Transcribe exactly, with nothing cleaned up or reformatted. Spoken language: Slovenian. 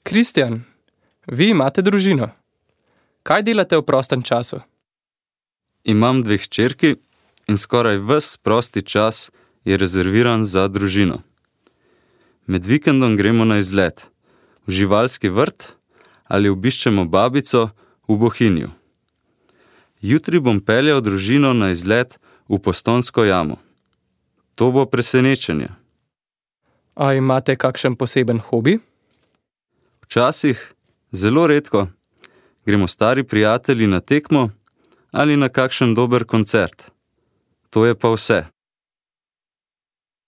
Kristjan, vi imate družino. Kaj delate v prostem času? Imam dve hčerki in skoraj ves prosti čas je rezerviran za družino. Med vikendom gremo na izlet, v živalski vrt ali obiščemo babico v Bohinju. Jutri bom peljal družino na izlet v Postojnsko jamo. To bo presenečenje. A imate kakšen poseben hobi? Včasih, zelo redko, gremo stari prijatelji na tekmo ali na kakšen dober koncert. To je pa vse.